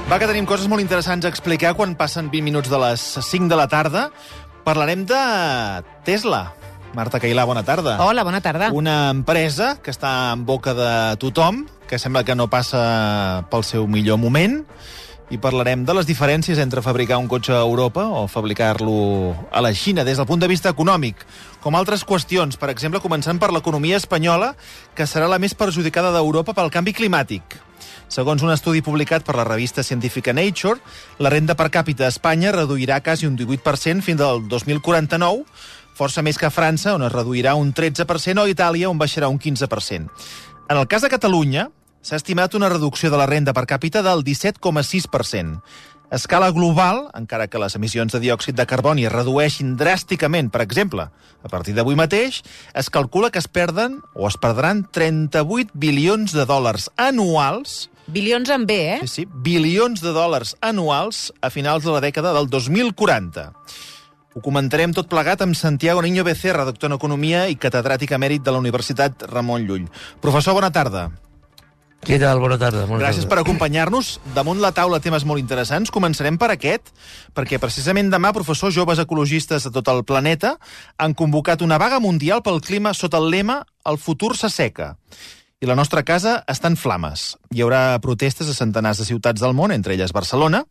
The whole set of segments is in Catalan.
Va, que tenim coses molt interessants a explicar quan passen 20 minuts de les 5 de la tarda. Parlarem de Tesla. Marta Cailà, bona tarda. Hola, bona tarda. Una empresa que està en boca de tothom, que sembla que no passa pel seu millor moment, i parlarem de les diferències entre fabricar un cotxe a Europa o fabricar-lo a la Xina des del punt de vista econòmic, com altres qüestions, per exemple, començant per l'economia espanyola, que serà la més perjudicada d'Europa pel canvi climàtic. Segons un estudi publicat per la revista científica Nature, la renda per càpita a Espanya reduirà quasi un 18% fins al 2049, força més que a França, on es reduirà un 13%, o a Itàlia, on baixarà un 15%. En el cas de Catalunya, s'ha estimat una reducció de la renda per càpita del 17,6%. A escala global, encara que les emissions de diòxid de carboni es redueixin dràsticament, per exemple, a partir d'avui mateix, es calcula que es perden o es perdran 38 bilions de dòlars anuals. Bilions en B, eh? Sí, bilions de dòlars anuals a finals de la dècada del 2040. Ho comentarem tot plegat amb Santiago Niño Becerra, doctor en Economia i catedràtic emèrit de la Universitat Ramon Llull. Professor, bona tarda. Què tal? Bona tarda. Gràcies per acompanyar-nos. Damunt la taula temes molt interessants. Començarem per aquest, perquè precisament demà, professor, joves ecologistes de tot el planeta han convocat una vaga mundial pel clima sota el lema «El futur s'asseca». I la nostra casa està en flames. Hi haurà protestes a centenars de ciutats del món, entre elles Barcelona,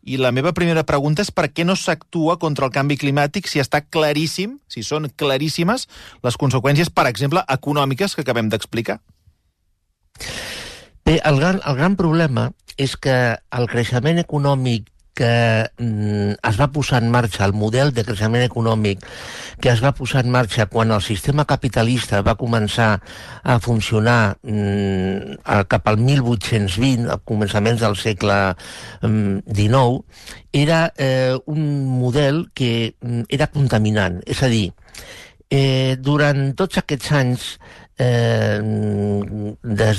i la meva primera pregunta és per què no s'actua contra el canvi climàtic si està claríssim, si són claríssimes, les conseqüències, per exemple, econòmiques que acabem d'explicar? Bé, el gran problema és que el creixement econòmic que es va posar en marxa, el model de creixement econòmic que es va posar en marxa quan el sistema capitalista va començar a funcionar cap al 1820, a començaments del segle XIX, era un model que era contaminant. És a dir, durant tots aquests anys, des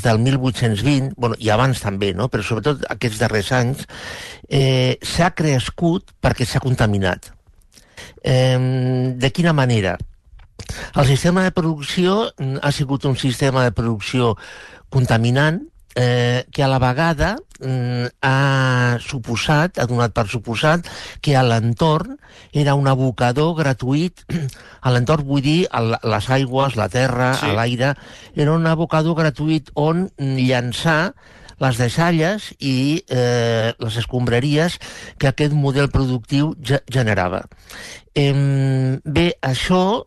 del 1820, bueno, i abans també, no? Però sobretot aquests darrers anys, s'ha crescut perquè s'ha contaminat. De quina manera? El sistema de producció ha sigut un sistema de producció contaminant, que a la vegada ha donat per suposat que a l'entorn era un abocador gratuït. A l'entorn vull dir les aigües, la terra, sí, l'aire, era un abocador gratuït on llançar les deixalles i les escombraries que aquest model productiu generava. Bé, això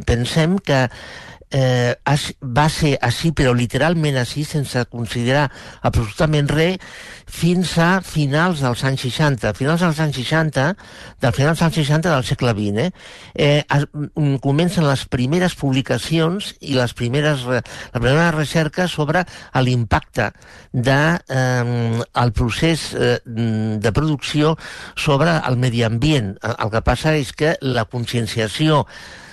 pensem que va ser així, però literalment així, sense considerar absolutament res, fins a finals dels anys 60. Finals dels anys 60, del segle XX, comencen les primeres publicacions i les primeres recerques sobre l'impacte del procés de producció sobre el medi ambient. El que passa és que la conscienciació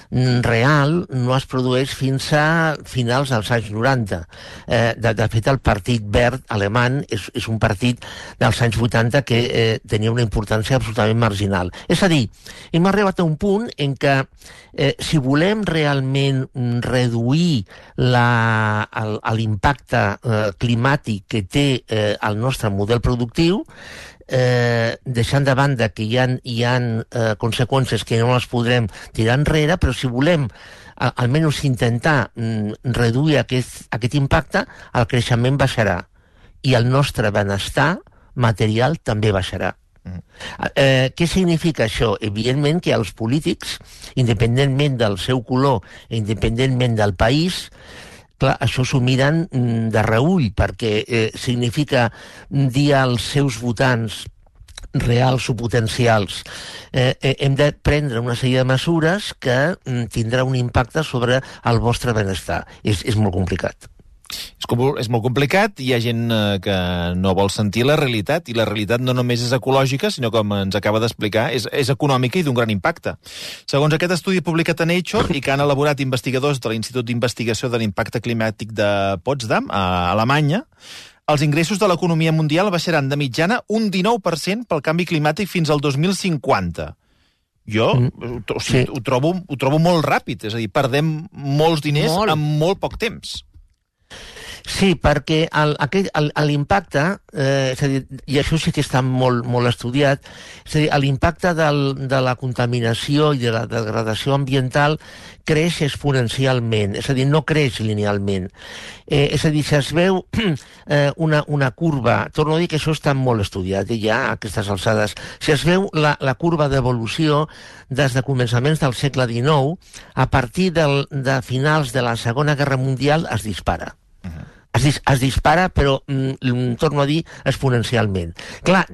real no es produeix fins a finals dels anys 90. De fet, el Partit Verd alemany és un partit dels anys 80 que tenia una importància absolutament marginal. És a dir, hem arribat a un punt en què si volem realment reduir l'impacte climàtic que té el nostre model productiu, deixant de banda que hi ha conseqüències que no les podrem tirar enrere, però si volem almenys intentar reduir aquest impacte, el creixement baixarà i el nostre benestar material també baixarà. Què significa això? Evidentment que els polítics, independentment del seu color, independentment del país, clar, això s'ho miren de reüll, perquè significa dir als seus votants reals o potencials hem de prendre una sèrie de mesures que tindrà un impacte sobre el vostre benestar. És molt complicat. És molt complicat, hi ha gent que no vol sentir la realitat, i la realitat no només és ecològica, sinó, com ens acaba d'explicar, és econòmica i d'un gran impacte. Segons aquest estudi publicat a Nature i que han elaborat investigadors de l'Institut d'Investigació de l'Impacte Climàtic de Potsdam, a Alemanya, els ingressos de l'economia mundial baixaran de mitjana un 19% pel canvi climàtic fins al 2050. Jo ho trobo molt ràpid, és a dir, perdem molts diners en molt poc temps. Sí, perquè l'impacte, és a dir, i això sí que està molt estudiat, és a dir, l'impacte de la contaminació i de la degradació ambiental creix exponencialment, és a dir, no creix linealment. És a dir, si es veu una curva, torno a dir que això està molt estudiat ja a aquestes alçades, si es veu la curva d'evolució des de començaments del segle XIX, a partir de finals de la Segona Guerra Mundial es dispara. Es dispara, però, torno a dir, exponencialment. Clar,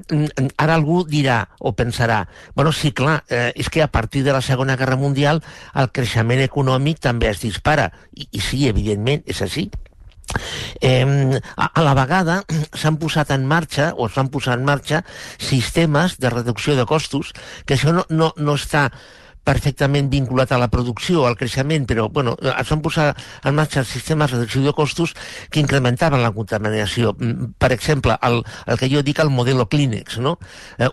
ara algú dirà o pensarà, bueno, sí, clar, és que a partir de la Segona Guerra Mundial el creixement econòmic també es dispara. I sí, evidentment, és així. A la vegada s'han posat en marxa sistemes de reducció de costos, que això no està perfectament vinculat a la producció, al creixement, però bueno, es van posar en marxa sistemes de reducció de costos que incrementaven la contaminació. Per exemple, el que jo dic el modelo Kleenex, no?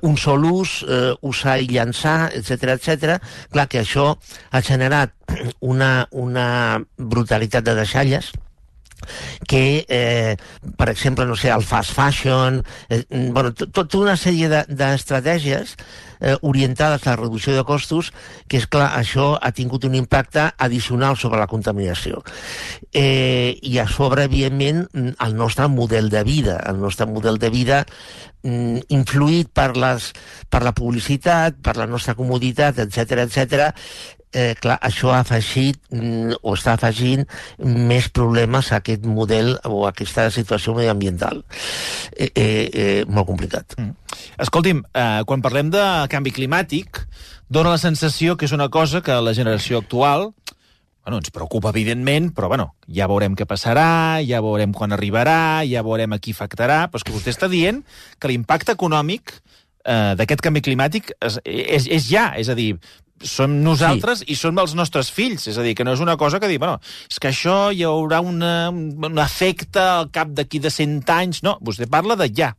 Un sol ús, usar i llançar, etc. Clar que això ha generat una brutalitat de deixalles que, per exemple, no sé, el fast fashion, bueno, tota una sèrie d'estratègies orientades a la reducció de costos, que, és clar, això ha tingut un impacte addicional sobre la contaminació. I a sobre, evidentment, el nostre model de vida, influït per la publicitat, per la nostra comoditat, etc. Clar, això ha afegit o està afegint més problemes a aquest model o a aquesta situació mediambiental. Molt complicat. Escolti'm, quan parlem de canvi climàtic, dona la sensació que és una cosa que la generació actual, bueno, ens preocupa, evidentment, però bueno, ja veurem què passarà, ja veurem quan arribarà, ja veurem a qui afectarà, però és que vostè està dient que l'impacte econòmic d'aquest canvi climàtic és ja, és a dir, som nosaltres i som els nostres fills, és a dir, que no és una cosa que dir, bueno, és que això hi haurà un efecte al cap d'aquí de 100 anys, no, vostè parla de ja.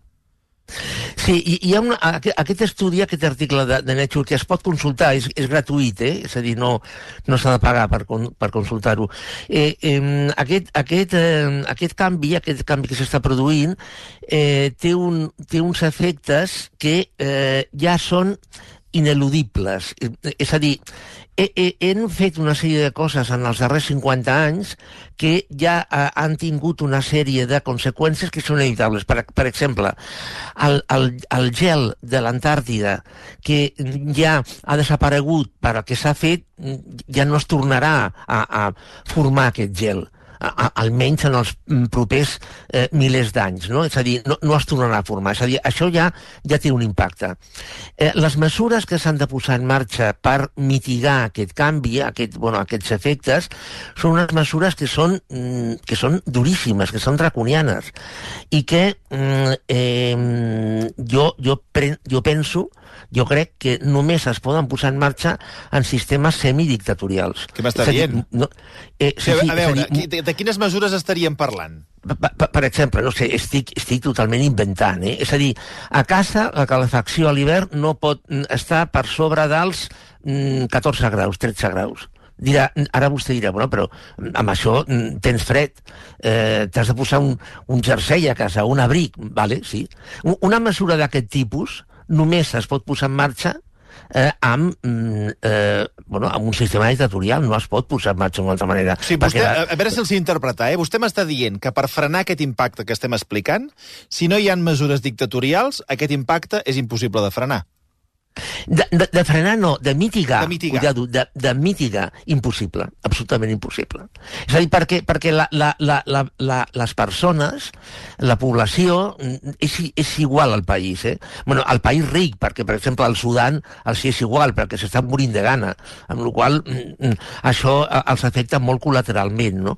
Sí, hi ha aquest estudi, aquest article de Nature, que es pot consultar, és gratuït, és a dir, no s'ha de pagar per consultar-ho. Aquest canvi que s'està produint té uns efectes que ja són ineludibles. És a dir, hem fet una sèrie de coses en els darrers 50 anys que ja han tingut una sèrie de conseqüències que són inevitables. Per exemple, el gel de l'Antàrtida, que ja ha desaparegut perquè s'ha fet, ja no es tornarà a formar aquest gel, almenys en els propers milers d'anys, no? És a dir, no es tornarà a formar. És a dir, això ja té un impacte. Les mesures que s'han de posar en marxa per mitigar aquest canvi, aquests efectes, són unes mesures que són duríssimes, que són draconianes, i que jo crec que només es poden posar en marxa en sistemes semidictatorials. Què m'està dient? A veure, de quines mesures estaríem parlant? Per exemple, no sé, estic totalment inventant, És a dir, a casa la calefacció a l'hivern no pot estar per sobre dels 14 graus, 13 graus. Ara vostè dirà, bueno, però amb això tens fred, t'has de posar un jersei a casa, un abric, vale, sí. Una mesura d'aquest tipus només es pot posar en marxa amb un sistema dictatorial, no es pot posar en marxa d'una altra manera. Sí, vostè, a veure si els interpretar, vostè m'està dient que per frenar aquest impacte que estem explicant, si no hi ha mesures dictatorials, aquest impacte és impossible de frenar. De frenar no, de mitigar. De mitigar, impossible, absolutament impossible. És a dir, perquè les persones, la població, és igual al país. Bueno, al país ric, perquè, per exemple, al Sudan els és igual, perquè s'estan morint de gana, amb la qual això els afecta molt col·lateralment, no?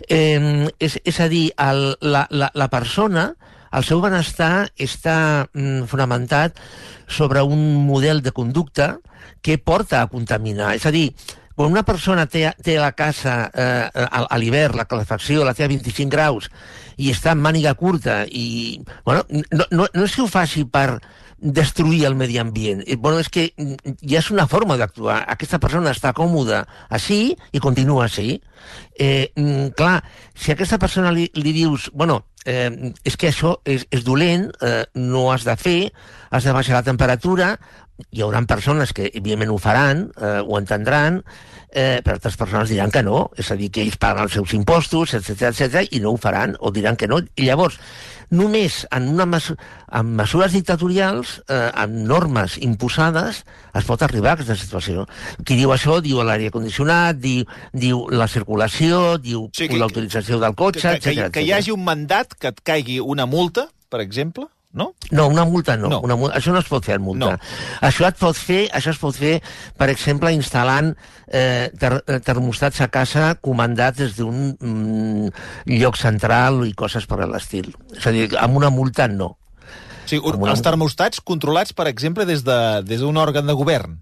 És a dir, la persona, el seu benestar està fonamentat sobre un model de conducta que porta a contaminar. És a dir, quan una persona té la casa a l'hivern, la calefacció la té a 25 graus i està en màniga curta i, bueno, no és que ho faci per destruir el medi ambient. Bueno, és que ja és una forma d'actuar. Aquesta persona està còmoda així i continua així. Clar, si a aquesta persona li dius, bueno, és que això és dolent, no has de fer, has de baixar la temperatura, hi haurà persones que evidentment ho faran, ho entendran, però altres persones diran que no, és a dir, que ells paguen els seus impostos, etc i no ho faran, o diran que no. I llavors, només amb mesures dictatorials, amb normes imposades, es pot arribar a aquesta situació. Qui diu això diu l'aire condicionat, diu la circulació, diu l'autorització del cotxe, etc. Que hi hagi un mandat que et caigui una multa, per exemple, no? No, una multa no. Això no es pot fer amb multa. No. Això es pot fer, per exemple, instal·lant termostats a casa comandats des d'un lloc central i coses per l'estil. És a dir, amb una multa no. Sí, els termostats controlats, per exemple, des d'un òrgan de govern.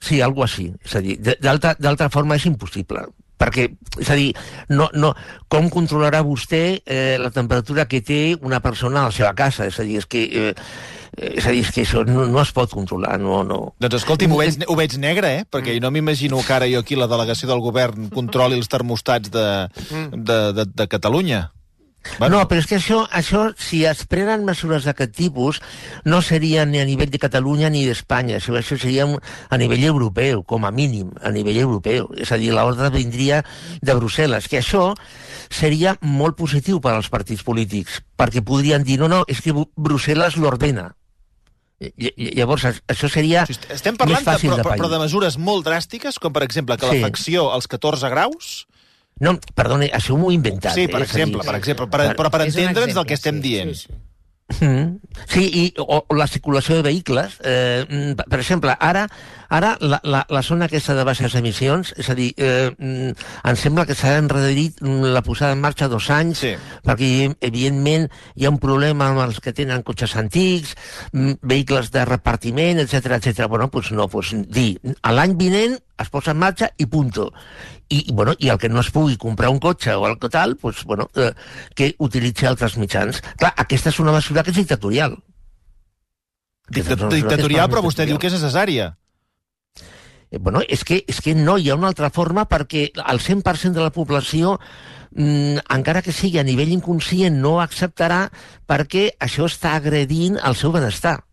Sí, algo així. És a dir, d'altra forma és impossible. Perquè, és a dir, com controlarà vostè la temperatura que té una persona a la seva casa? És a dir, és que això no es pot controlar, no. Doncs escolti'm, ho veig negre, perquè no m'imagino que ara jo aquí la delegació del govern controli els termostats de Catalunya. Bueno. No, però és que això, si es prenen mesures d'aquest tipus, no seria ni a nivell de Catalunya ni d'Espanya, això seria a nivell europeu, com a mínim, a nivell europeu. És a dir, l'ordre vindria de Brussel·les, que això seria molt positiu per als partits polítics, perquè podrien dir, no, és que Brussel·les l'ordena. Llavors, això seria estem parlant més fàcil de pair. Però de mesures molt dràstiques, com per exemple que l'afecció als 14 graus... No, perdoni, això m'ho he inventat. Sí, per exemple, però per entendre'ns del que estem dient. Sí, o la circulació de vehicles. Per exemple, ara la zona aquesta de baixes emissions, és a dir, em sembla que s'ha enredarit la posada en marxa 2 anys, perquè evidentment hi ha un problema amb els que tenen cotxes antics, vehicles de repartiment, etc. Bueno, doncs no, dir, l'any vinent es posa en marxa i punto. I el que no es pugui comprar un cotxe o el que tal, que utilitzi altres mitjans. Clar, aquesta és una mesura que és dictatorial. Dictatorial, però vostè diu que és necessària. És que no hi ha una altra forma, perquè el 100% de la població, encara que sigui a nivell inconscient, no acceptarà, perquè això està agredint el seu benestar.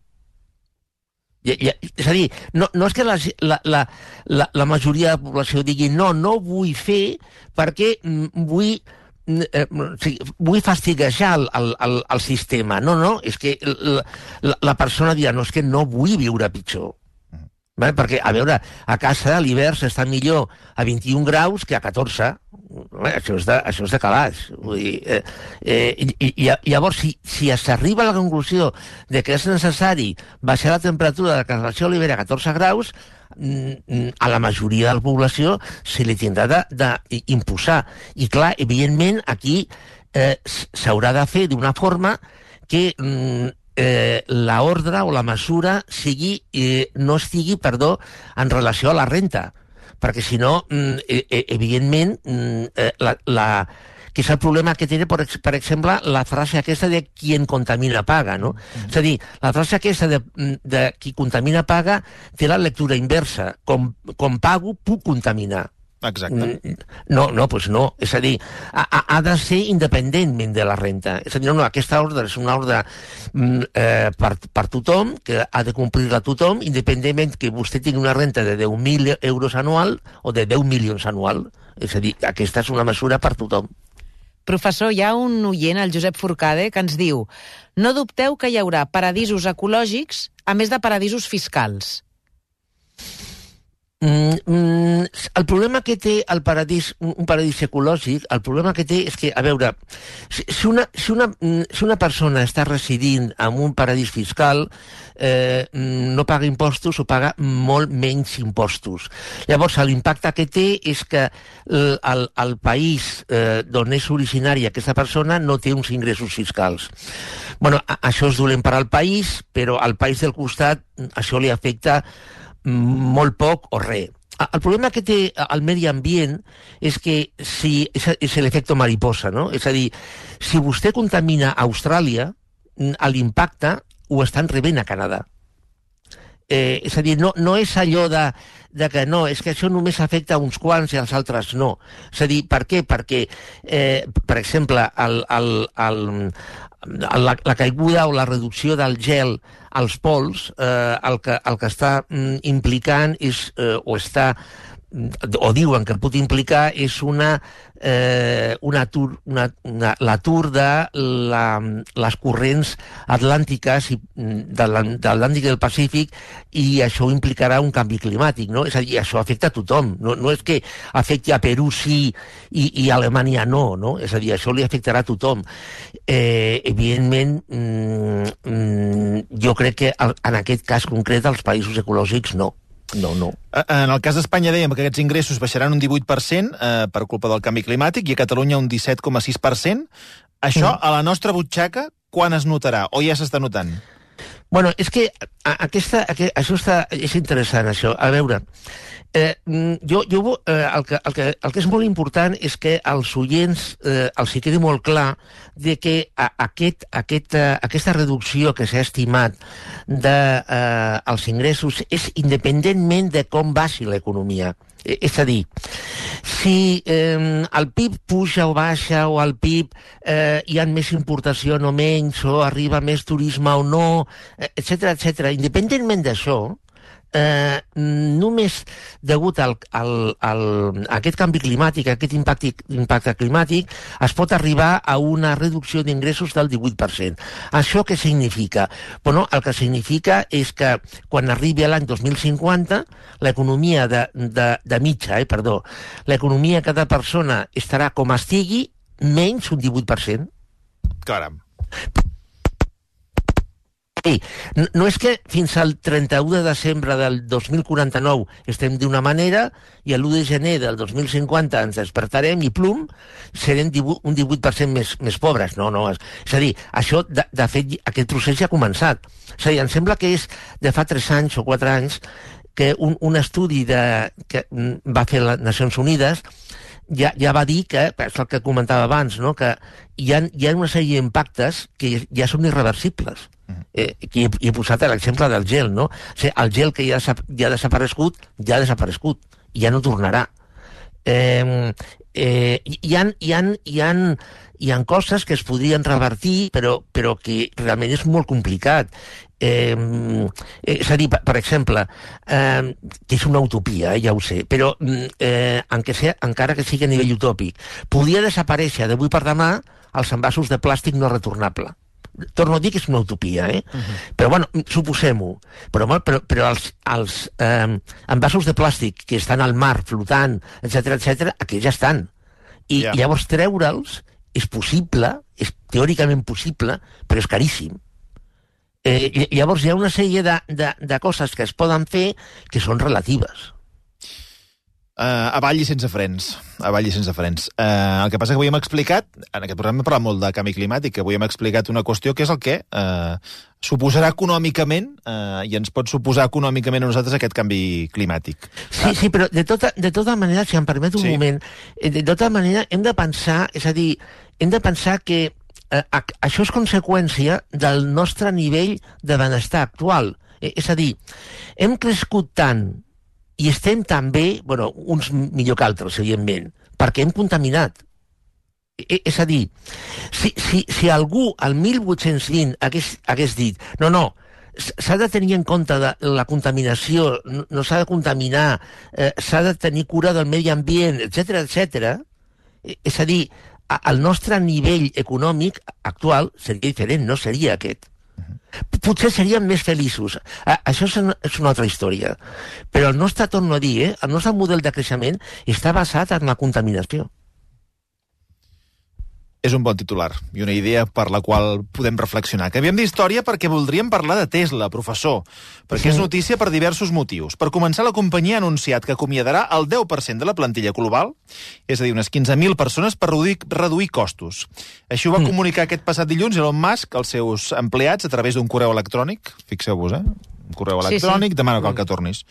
És a dir, no és que la majoria de la població digui no vull fer perquè vull fastiguejar el sistema. No, és que la persona dirà no, és que no vull viure pitjor. Perquè, a veure, a casa a l'hivern s'està millor a 21 graus que a 14. Això és de calaix. Llavors, si s'arriba a la conclusió de que és necessari baixar la temperatura de la relació a l'hivern a 14 graus, a la majoria de la població se li tindrà d'imposar. I clar, evidentment, aquí s'haurà de fer d'una forma que l'ordre o la mesura no estigui, en relació a la renta, perquè si no, evidentment, que és el problema que té, per exemple, la frase aquesta de quien contamina paga, no? És a dir, la frase aquesta de qui contamina paga té la lectura inversa. Com pago, puc contaminar. Exacte. No. És a dir, ha de ser independentment de la renta. És a dir, aquesta ordre és una ordre per tothom, que ha de complir-la tothom, independentment que vostè tingui una renta de 10.000 euros anual o de 10 milions anual. És a dir, aquesta és una mesura per tothom. Professor, hi ha un oient, el Josep Forcade, que ens diu: no dubteu que hi haurà paradisos ecològics a més de paradisos fiscals. El problema que té un paradís ecològic, el problema que té és que, a veure, si una persona està residint en un paradís fiscal, no paga impostos o paga molt menys impostos. Llavors, l'impacte que té és que el país d'on és originària aquesta persona no té uns ingressos fiscals. Això és dolent per al país, però al país del costat això li afecta molt poc o res. El problema que té el medi ambient és que és l'efecte mariposa, no? És a dir, si vostè contamina a Austràlia, l'impacte ho estan rebent a Canadà. És a dir, no és allò de que no, és que això només afecta a uns quants i als altres no. És a dir, per què? Perquè, per exemple, la caiguda o la reducció del gel als pols, el que està implicant és, o diuen que pot implicar, és l'atur de les corrents atlàntiques de l'Atlàntic i del Pacífic, i això implicarà un canvi climàtic, no? És a dir, això afecta a tothom, no és que afecti a Perú sí i a Alemanya no? És a dir, això li afectarà a tothom. Evidentment, jo crec que en aquest cas concret els països ecològics no. No. En el cas d'Espanya dèiem que aquests ingressos baixaran un 18% per culpa del canvi climàtic i a Catalunya un 17,6%. Això, a la nostra butxaca, quan es notarà? O ja s'està notant? Bueno, és que és interessant, això. A veure, el que és molt important és que als oients els hi quedi molt clar de que aquesta reducció que s'ha estimat dels ingressos és independentment de com baixi l'economia. És a dir, si el PIB puja o baixa, o al PIB hi ha més importació o menys, o arriba més turisme o no, etc. Independentment d'això, només degut a aquest canvi climàtic, a aquest impacte climàtic, es pot arribar a una reducció d'ingressos del 18%. Això què significa? Bueno, el que significa és que quan arribi l'any 2050, l'economia de mitja, l'economia de cada persona estarà com estigui, menys un 18%. Caram. No és que fins al 31 de desembre del 2049 estem d'una manera i l'1 de gener del 2050 ens despertarem i plum, serem un 18% més pobres. No. És a dir, això, de fet, aquest procés ja ha començat. És a dir, em sembla que és de fa 3 anys o 4 anys que un estudi que va fer les Nacions Unides ja va dir que, és el que comentava abans, no? Que hi ha una sèrie d'impactes que ja són irreversibles. Aquí he posat l'exemple del gel, no? O sigui, el gel que ja ha desaparegut, i ja no tornarà. Hi ha coses que es podrien revertir, però que realment és molt complicat. És a dir, per exemple, que és una utopia, ja ho sé, però encara que sigui a nivell utòpic, podria desaparèixer d'avui per demà els envasos de plàstic no retornable. Torno a dir que és una utopia, Però, bueno, suposem-ho. Però els envasos de plàstic que estan al mar flotant, etc., aquells ja estan. I llavors treure'ls és possible, és teòricament possible, però és caríssim. Llavors hi ha una sèrie de coses que es poden fer que són relatives. Avall i sense frens. El que passa que avui hem explicat, en aquest programa hem parlat molt de canvi climàtic, que avui hem explicat una qüestió que és el que suposarà econòmicament i ens pot suposar econòmicament a nosaltres aquest canvi climàtic. Sí, però de tota manera, si em permet un moment, de tota manera hem de pensar, és a dir, hem de pensar que això és conseqüència del nostre nivell de benestar actual. És a dir, hem crescut tant i estem també, bueno, uns millor que altres, evidentment, perquè hem contaminat. És a dir, si algú al 1820 hagués dit no, s'ha de tenir en compte de la contaminació, no s'ha de contaminar, s'ha de tenir cura del medi ambient, etc. És a dir, el nostre nivell econòmic actual seria diferent, no seria aquest. Potser seríem més feliços. Això és una altra història. Però el nostre, torno a dir, el nostre model de creixement està basat en la contaminació. És un bon titular i una idea per la qual podem reflexionar. Canviem d'història perquè voldríem parlar de Tesla, professor, perquè és notícia per diversos motius. Per començar, la companyia ha anunciat que acomiadarà el 10% de la plantilla global, és a dir, unes 15.000 persones per reduir costos. Així ho va comunicar aquest passat dilluns Elon Musk als seus empleats a través d'un correu electrònic. Fixeu-vos, un correu electrònic, demà no cal que tornis.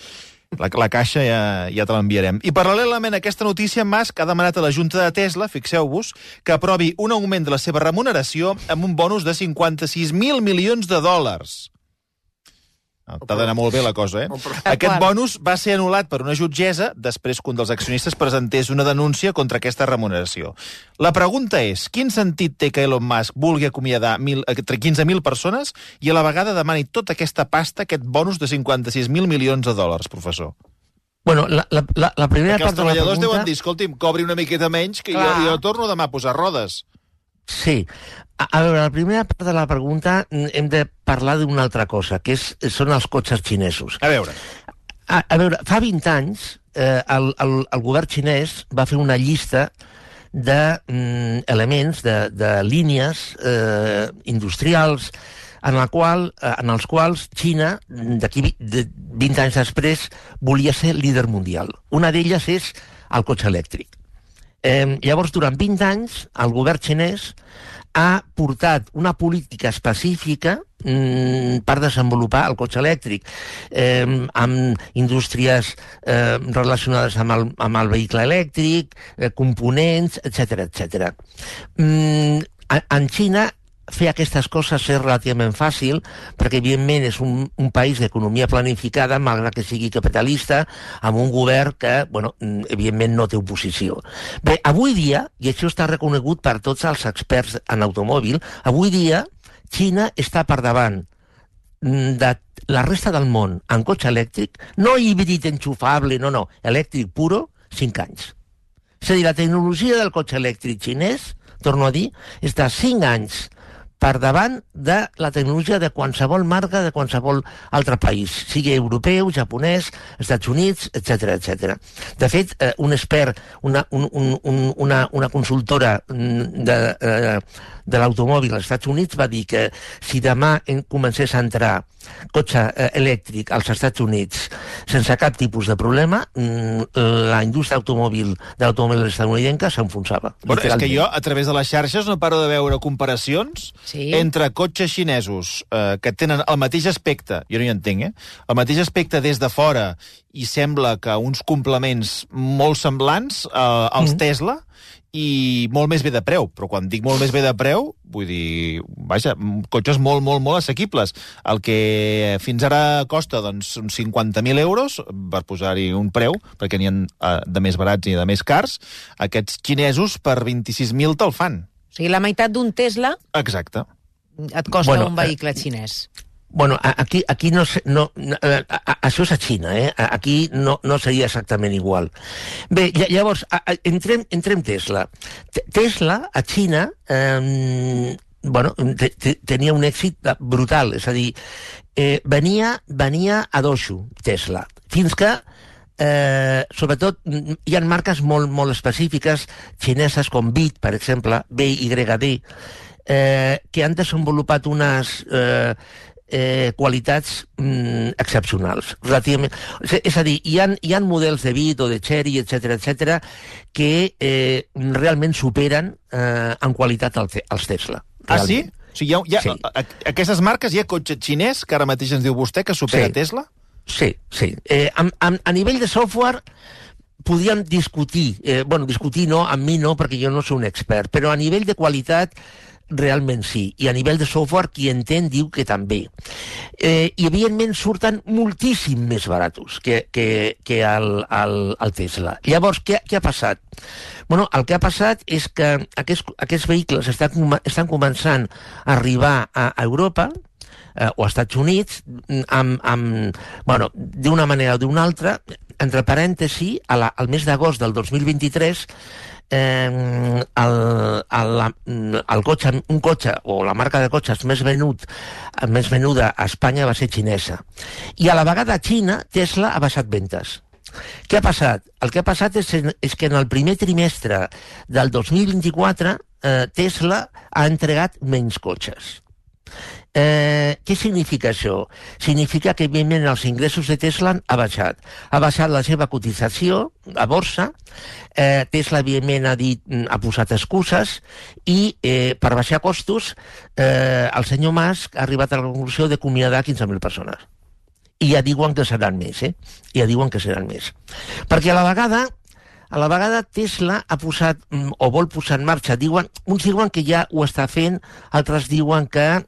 La caixa ja te l'enviarem. I paral·lelament a aquesta notícia, Musk ha demanat a la Junta de Tesla, fixeu-vos, que aprovi un augment de la seva remuneració amb un bonus de $56.000 milions. T'ha d'anar molt bé la cosa, Aquest bonus va ser anul·lat per una jutgessa després que un dels accionistes presentés una denúncia contra aquesta remuneració. La pregunta és, quin sentit té que Elon Musk vulgui acomiadar 15.000 persones i a la vegada demani tota aquesta pasta, aquest bonus de 56.000 milions de dòlars, professor? Bueno, la primera part de la pregunta... Perquè els treballadors deuen dir, escolti'm, cobri una miqueta menys que jo torno demà a posar rodes. Sí. A veure, la primera part de la pregunta hem de parlar d'una altra cosa, que són els cotxes xinesos. A veure. A veure, fa 20 anys el govern xinès va fer una llista d'elements, de línies industrials en els quals Xina, d'aquí 20 anys després, volia ser líder mundial. Una d'elles és el cotxe elèctric. Llavors, durant 20 anys, el govern xinès ha portat una política específica per desenvolupar el cotxe elèctric, amb indústries relacionades amb el vehicle elèctric, components, etc. En Xina, fer aquestes coses és relativament fàcil, perquè evidentment és un país d'economia planificada, malgrat que sigui capitalista, amb un govern que, evidentment no té oposició. Bé, avui dia, i això està reconegut per tots els experts en automòbil, avui dia Xina està per davant de la resta del món en cotxe elèctric, no híbrid enxufable, no, elèctric puro, 5 anys. És a dir, la tecnologia del cotxe elèctric xinès, torno a dir, està 5 anys per davant de la tecnologia de qualsevol marca de qualsevol altre país, sigui europeu, japonès, Estats Units, etc. De fet, un expert, una consultora de l'automòbil als Estats Units va dir que si demà comencés a entrar cotxe elèctric als Estats Units sense cap tipus de problema, la indústria de l'automòbil estadounidenca s'enfonsava. Bueno, és que jo, a través de les xarxes, no paro de veure comparacions entre cotxes xinesos que tenen el mateix aspecte, jo no hi entenc, el mateix aspecte des de fora, i sembla que uns complements molt semblants als Tesla, i molt més bé de preu, però quan dic molt més bé de preu, vull dir, vaja, cotxes molt, molt, molt assequibles. El que fins ara costa, doncs, uns 50.000 euros, per posar-hi un preu, perquè n'hi ha de més barats i de més cars, aquests xinesos per 26.000 te'l fan. O sigui, la meitat d'un Tesla... Exacte. Et costa un vehicle xinès. Bueno, aquí no això és a Xina, aquí no seria exactament igual. Bé, llavors, entrem Tesla. Tesla, a Xina, tenia un èxit brutal, és a dir, venia a dojo, Tesla, fins que sobretot hi ha marques molt específiques xineses com BYD, per exemple, BYD, que han desenvolupat unes qualitats excepcionals, relativament. És a dir, hi ha models de BYD o de Chery, etc., que realment superen en qualitat els Tesla. Ah, sí? O sigui, sí. Aquestes marques, hi ha cotxe xinès, que ara mateix ens diu vostè, que supera Tesla? Sí. A nivell de software podríem discutir, discutir no, amb mi no, perquè jo no soc un expert, però a nivell de qualitat realment sí, i a nivell de software qui entén diu que també. I evidentment surten moltíssim més baratos que el Tesla. Llavors, què ha passat? Bueno, el que ha passat és que aquests vehicles estan començant a arribar a Europa o als Estats Units d'una manera o d'una altra. Entre parèntesi, al mes d'agost del 2023 un cotxe o la marca de cotxes més venuda a Espanya va ser xinesa, i a la vegada a Xina Tesla ha baixat ventes. Què ha passat? El que ha passat és que en el primer trimestre del 2024 Tesla ha entregat menys cotxes. Què significa això? Significa que, evidentment, els ingressos de Tesla ha baixat. Ha baixat la seva cotització a borsa. Tesla, evidentment, ha posat excuses i, per baixar costos, el senyor Musk ha arribat a la conclusió d'acomiadar 15.000 persones. I ja diuen que seran més, Ja diuen que seran més. Perquè a la vegada Tesla ha posat, o vol posar en marxa, uns diuen que ja ho està fent, altres diuen que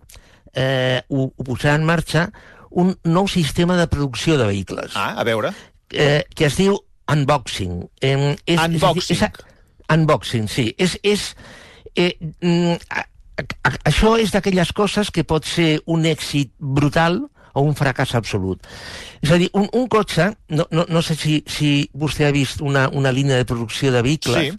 ho posarà en marxa, un nou sistema de producció de vehicles. A veure. Que es diu unboxing. Unboxing, sí. Això és d'aquelles coses que pot ser un èxit brutal o un fracàs absolut. És a dir, un cotxe, no sé si vostè ha vist una línia de producció de vehicles,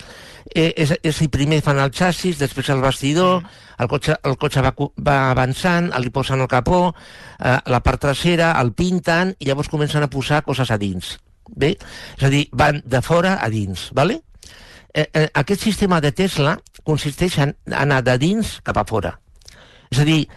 és primer fan el xassis, després el bastidor, el cotxe va avançant, li posen el capó, la part trasera, el pinten, i llavors comencen a posar coses a dins. Bé? És a dir, van de fora a dins, ¿vale? Aquest sistema de Tesla consisteix en anar de dins cap a fora. És a dir,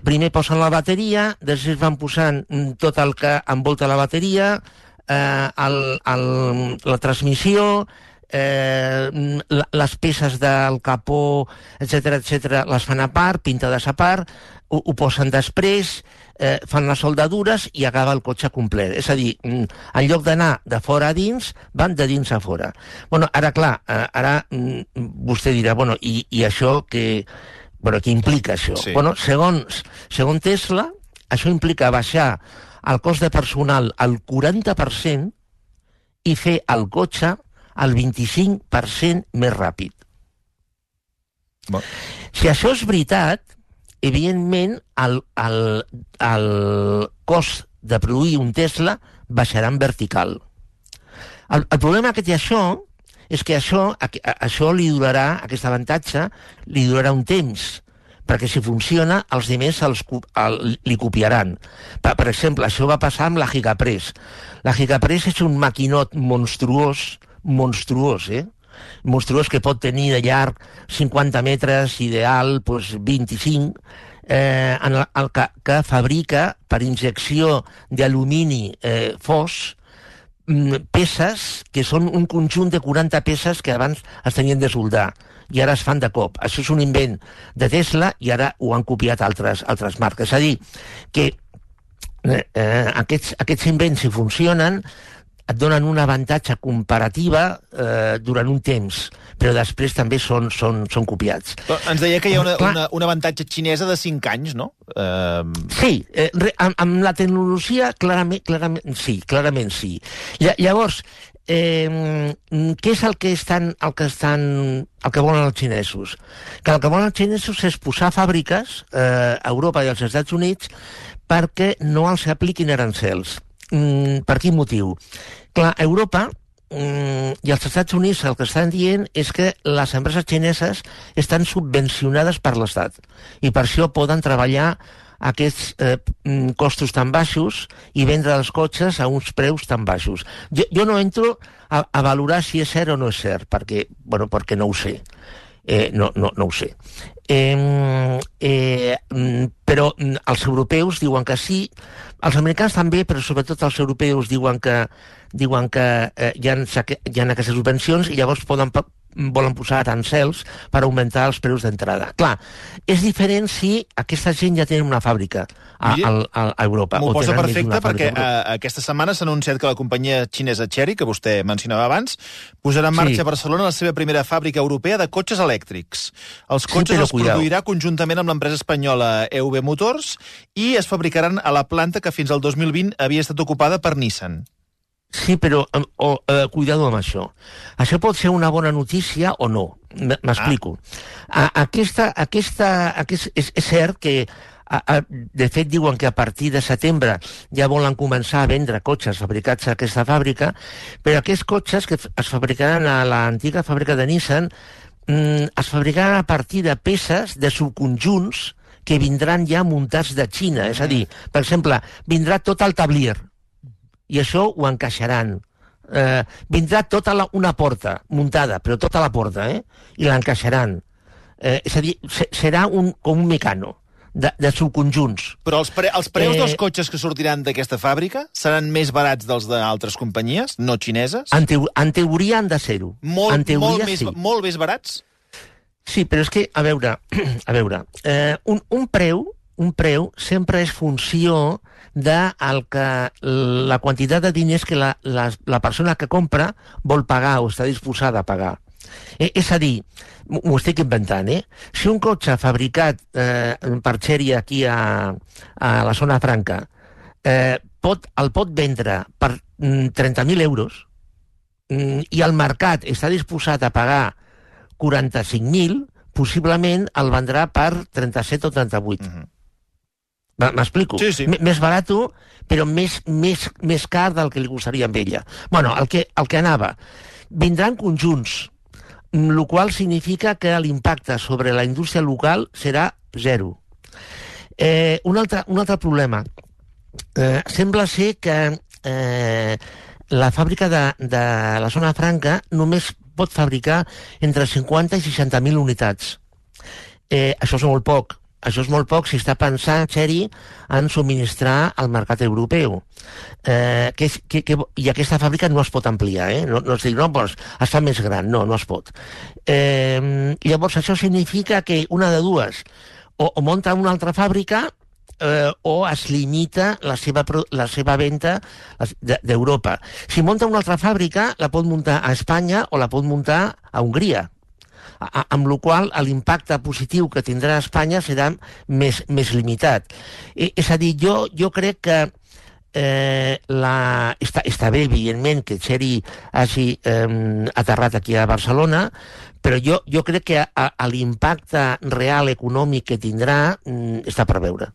primer posen la bateria, després van posant tot el que envolta la bateria, la transmissió, les peces del capó, etc., les fan a part, pintades a part, ho posen després, fan les soldadures i acaba el cotxe complet. És a dir, en lloc d'anar de fora a dins, van de dins a fora. Bueno, ara, clar, vostè dirà, bueno, i això què implica això? Sí. Bueno, segons Tesla, això implica baixar el cost de personal al 40% i fer el cotxe al 25% més ràpid. Bon. Si això és veritat, evidentment el cost de produir un Tesla baixarà en vertical. El problema que té això és que això li durarà, aquest avantatge, li durarà un temps, perquè si funciona, els altres li copiaran. Per exemple, això va passar amb la Gigapress. La Gigapress és un maquinot monstruós, monstruós que pot tenir de llarg 50 metres, ideal 25, que fabrica per injecció d'alumini fos peces que són un conjunt de 40 peces que abans es tenien de soldar i ara es fan de cop. Això és un invent de Tesla i ara ho han copiat altres marques. És a dir, que aquests invents, si funcionen, et donen un avantatge comparativa durant un temps, però després també són copiats. Però ens deia que hi ha un avantatge xinesa de 5 anys, no? Sí, amb la tecnologia clarament sí. Llavors, què és el que volen els xinesos? Que el que volen els xinesos és posar fàbriques a Europa i als Estats Units perquè no els apliquin arancels. Per quin motiu? Clar, Europa i els Estats Units el que estan dient és que les empreses xineses estan subvencionades per l'Estat i per això poden treballar aquests costos tan baixos i vendre els cotxes a uns preus tan baixos. Jo no entro a valorar si és cert o no és cert, perquè no ho sé. No ho sé. Però els europeus diuen que sí, els americans també, però sobretot els europeus diuen que hi ha aquestes subvencions i llavors volen posar arancels per augmentar els preus d'entrada. Clar, és diferent si aquesta gent ja té una fàbrica a Europa. M'ho posa perfecte perquè aquesta setmana s'ha anunciat que la companyia xinesa Chery, que vostè mencionava abans, posarà en marxa a Barcelona la seva primera fàbrica europea de cotxes elèctrics. Els cotxes els produirà conjuntament amb l'empresa espanyola EV Motors i es fabricaran a la planta que fins al 2020 havia estat ocupada per Nissan. Sí, però cuidado amb això. Això pot ser una bona notícia o no. M'explico. És cert que, de fet, diuen que a partir de setembre ja volen començar a vendre cotxes fabricats a aquesta fàbrica, però aquests cotxes que es fabricaran a l'antiga fàbrica de Nissan es fabricaran a partir de peces, de subconjunts, que vindran ja muntats de Xina. És a dir, per exemple, vindrà tot el tablier, i això ho encaixaran. Vindrà tota una porta muntada, però tota la porta, i l'encaixaran. És a dir, serà com un mecano de subconjunts. Però els preus dels cotxes que sortiran d'aquesta fàbrica seran més barats dels d'altres companyies, no xineses? En teoria han de ser-ho. Molt més barats? Sí, però és que, a veure, un preu sempre és funció de la quantitat de diners que la persona que compra vol pagar o està disposada a pagar. És a dir, m'ho estic inventant, si un cotxe fabricat per Chery aquí a la zona franca el pot vendre per 30.000 euros i el mercat està disposat a pagar 45.000, possiblement el vendrà per 37 o 38. M'explico? Sí. Més barat, però més car del que li costaria amb ella. Bueno, el que anava. Vindran conjunts, el qual significa que l'impacte sobre la indústria local serà zero. Un altre problema. Sembla ser que la fàbrica de la Zona Franca només pot fabricar entre 50 i 60.000 unitats. Això és molt poc. Això és molt poc si està pensant, Txeri, en subministrar al mercat europeu. I aquesta fàbrica no es pot ampliar, No es diu, doncs, es fa més gran. No es pot. Llavors, això significa que una de dues, o munta una altra fàbrica, o es limita la seva venda d'Europa. Si munta una altra fàbrica, la pot muntar a Espanya o la pot muntar a Hongria, amb la qual cosa l'impacte positiu que tindrà a Espanya serà més limitat. És a dir, jo crec que està bé, evidentment, que Txeri hagi aterrat aquí a Barcelona, però jo crec que l'impacte real econòmic que tindrà està per veure.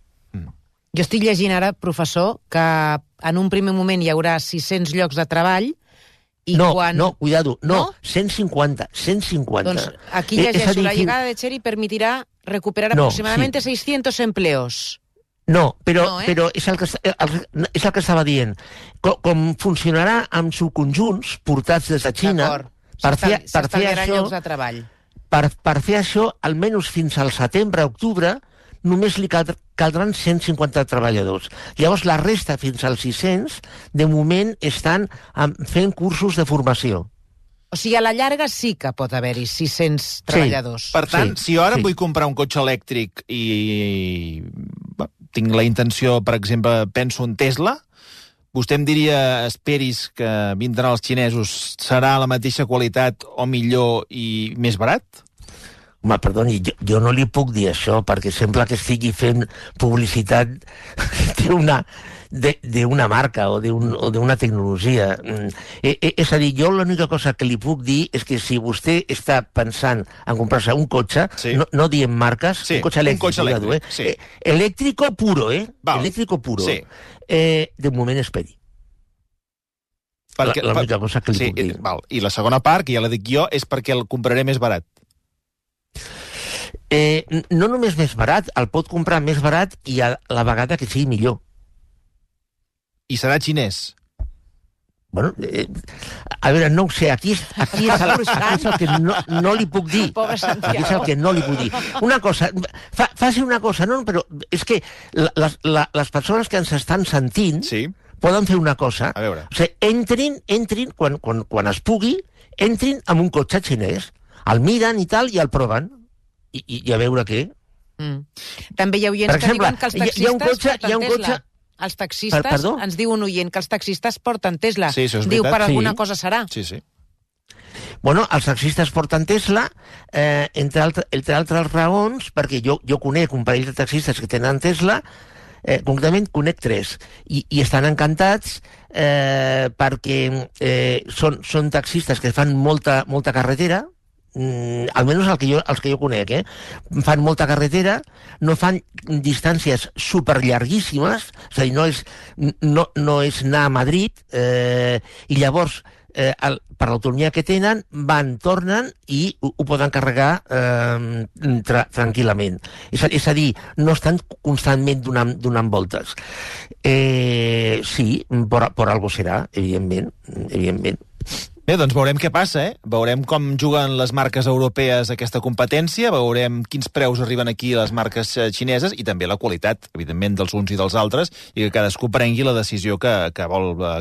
Jo estic llegint ara, professor, que en un primer moment hi haurà 600 llocs de treball i cuidado, 150. Doncs aquí llegeixo, la llegada de Txeri permitirá recuperar aproximadamente 600 empleos. Però és el que estava dient. Com funcionarà amb subconjunts portats des de Xina, per fer això, almenys fins al setembre-octubre, només li caldran 150 treballadors. Llavors, la resta, fins als 600, de moment estan fent cursos de formació. O sigui, a la llarga sí que pot haver-hi 600 treballadors. Per tant, si jo ara vull comprar un cotxe elèctric i tinc la intenció, per exemple, penso en Tesla, vostè em diria, esperis que vindran els xinesos, serà la mateixa qualitat o millor i més barat? Home, perdoni, jo no li puc dir això, perquè sembla que estigui fent publicitat d'una marca o d'una tecnologia. És a dir, jo l'única cosa que li puc dir és que si vostè està pensant en comprar-se un cotxe, no diem marques, un cotxe elèctric, elèctrico puro, elèctrico puro, de moment esperi. L'única cosa que li puc dir. I la segona part, que ja la dic jo, és perquè el compraré més barat. No només més barat, el pot comprar més barat i a la vegada que sigui millor. I serà xinès? Bueno, a veure, no ho sé, aquí és el que no li puc dir. Aquí és el que no li puc dir. Una cosa, faci una cosa, no, però és que les persones que ens estan sentint poden fer una cosa. A veure. O sigui, entrin, quan es pugui, entrin amb un cotxe xinès, el miren i tal, i el proven. I a veure què. També hi ha oients que diuen que els taxistes porten Tesla. Els taxistes, ens diu un oient, que els taxistes porten Tesla. Sí, això és veritat. Diu, per alguna cosa serà. Sí. Bueno, els taxistes porten Tesla, entre altres raons, perquè jo conec un parell de taxistes que tenen Tesla, concretament conec 3, i estan encantats perquè són taxistes que fan molta carretera, almenys els que jo conec, fan molta carretera, no fan distàncies superllarguíssimes, és a dir, no és anar a Madrid, i llavors, per l'autonomia que tenen, van, tornen i ho poden carregar tranquil·lament. És a dir, no estan constantment donant voltes. Sí, per algo serà, evidentment. Bé, doncs veurem què passa, Veurem com juguen les marques europees aquesta competència, veurem quins preus arriben aquí a les marques xineses i també la qualitat, evidentment, dels uns i dels altres, i que cadascú prengui la decisió que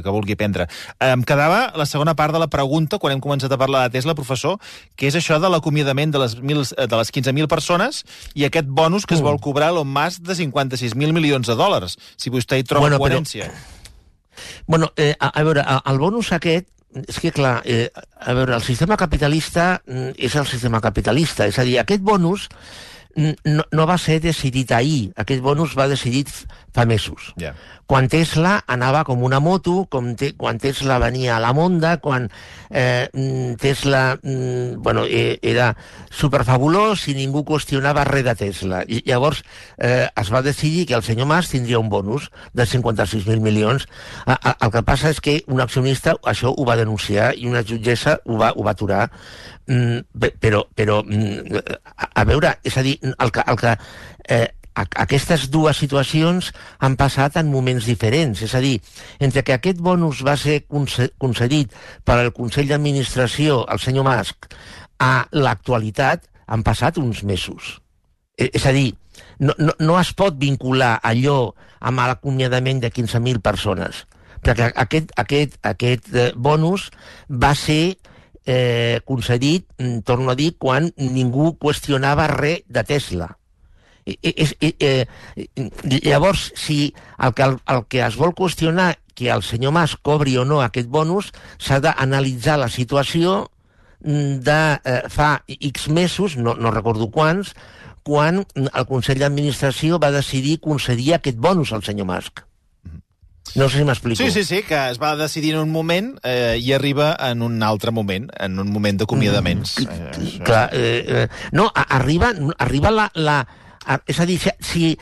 vulgui prendre. Em quedava la segona part de la pregunta, quan hem començat a parlar de Tesla, professor, que és això de l'acomiadament de les 15.000 persones i aquest bonus que es vol cobrar Elon Musk de 56.000 milions de dòlars, si vostè hi troba coherència. Bueno, a veure, el bonus aquest, és que, clar, a veure, el sistema capitalista és el sistema capitalista. És a dir, aquest bonus no va ser decidit ahir. Aquest bonus va decidit fa mesos. Quan Tesla anava com una moto, quan Tesla venia a la monda, quan Tesla era superfabulós i ningú qüestionava res de Tesla. I llavors es va decidir que el senyor Mas tindria un bonus de 56.000 milions. El que passa és que un accionista això ho va denunciar i una jutgessa ho va aturar. Però a veure, és a dir, aquestes dues situacions han passat en moments diferents. És a dir, entre que aquest bonus va ser concedit per al Consell d'Administració, el senyor Musk, a l'actualitat han passat uns mesos. És a dir, no es pot vincular allò amb l'acomiadament de 15.000 persones, perquè aquest bonus va ser concedit, torno a dir, quan ningú qüestionava res de Tesla. Llavors, si el que es vol qüestionar que el senyor Mas cobri o no aquest bonus, s'ha d'analitzar la situació de fa X mesos, no recordo quants, quan el Consell d'Administració va decidir concedir aquest bonus al senyor Musk. No sé si m'explico. Sí, que es va decidir en un moment i arriba en un altre moment, en un moment d'acomiadaments. Clar, no, arriba la... És a dir, si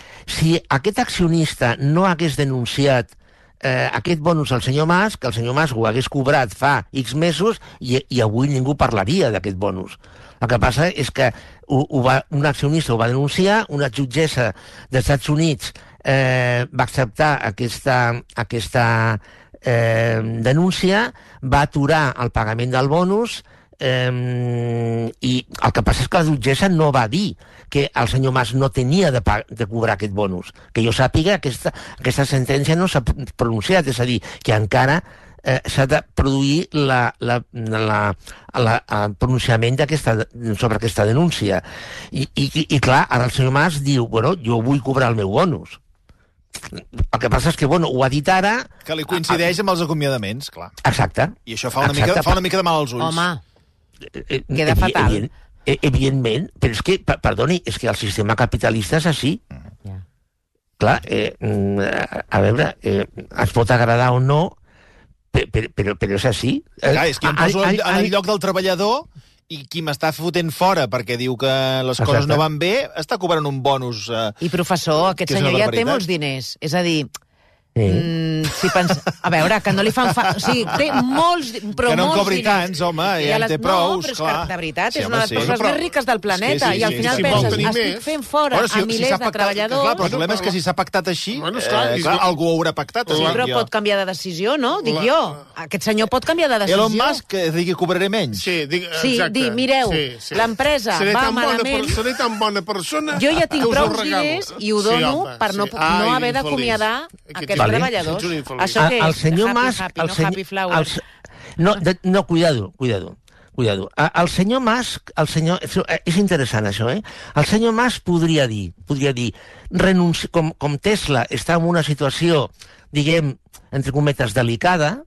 aquest accionista no hagués denunciat aquest bonus al senyor Mas, que el senyor Mas ho hagués cobrat fa X mesos i avui ningú parlaria d'aquest bonus. El que passa és que un accionista ho va denunciar, una jutgessa dels Estats Units va acceptar aquesta denúncia, va aturar el pagament del bonus i el que passa és que la jutgessa no va dir que el senyor Mas no tenia de cobrar aquest bonus. Que jo sàpiga, aquesta sentència no s'ha pronunciat, és a dir, que encara s'ha de produir el pronunciament sobre aquesta denúncia. I clar, ara el senyor Mas diu, bueno, jo vull cobrar el meu bonus. El que passa és que, bueno, ho ha dit ara... Que li coincideix amb els acomiadaments, clar. Exacte. I això fa una mica de mal als ulls. Home, queda fatal. Evidentment, però és que, perdoni, és que el sistema capitalista és així. Clar, a veure, es pot agradar o no, però és així. Clar, és que em poso en el lloc del treballador i qui m'està fotent fora perquè diu que les coses no van bé, està cobrant un bonus. I professor, aquest senyor ja té molts diners. És a dir, si a veure, que no li fan... O sigui, té molts, però que no en molts cobri diners. tants, home, ja en té prous, no, però és clar. Que, de veritat, és una de les persones més riques del planeta, i al final penses, estic fent fora a milers de treballadors... Clar, però el problema és que si s'ha pactat així, clar, algú ho haurà pactat. Sí, però pot canviar de decisió, no? Dic jo. Aquest senyor pot canviar de decisió. Elon Musk digui cobraré menys. Sí, dir, mireu, l'empresa va malament... Seré tan bona persona... Jo ja tinc prou diners i ho dono per no haver d'acomiadar aquests treballadors. Això què és? El senyor Mas... Happy Flowers? No, cuidado. El senyor Mas... És interessant, això, eh? El senyor Mas podria dir, com Tesla està en una situació, diguem, entre cometes, delicada,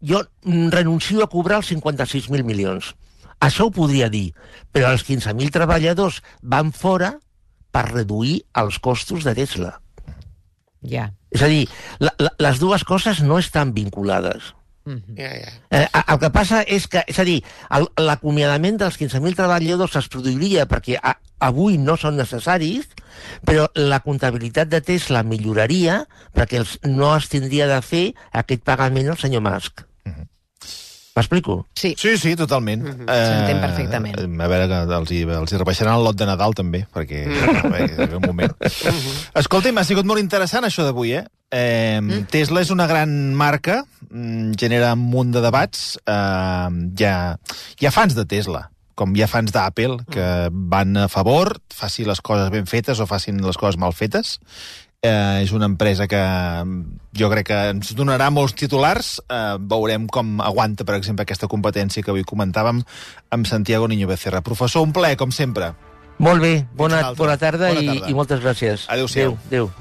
jo renuncio a cobrar els 56.000 milions. Això ho podria dir, però els 15.000 treballadors van fora per reduir els costos de Tesla. Ja. És a dir, les dues coses no estan vinculades. El que passa és que, és a dir, l'acomiadament dels 15.000 treballadors es produiria perquè avui no són necessaris, però la comptabilitat de Tesla milloraria perquè no es tindria de fer aquest pagament al senyor Musk. M'explico? Sí, totalment. s'entén perfectament. A veure, que els hi rebaixaran el lot de Nadal, també, perquè un moment. Escolta'm, ha sigut molt interessant això d'avui, eh? Tesla és una gran marca, genera un munt de debats. Hi ha fans de Tesla, com hi ha fans d'Apple, que van a favor, faci les coses ben fetes o facin les coses mal fetes. És una empresa que jo crec que ens donarà molts titulars. Veurem com aguanta, per exemple, aquesta competència que avui comentàvem amb Santiago Niño Becerra. Professor, un plaer, com sempre. Molt bé, bona tarda i moltes gràcies. Adéu-siau. Adéu.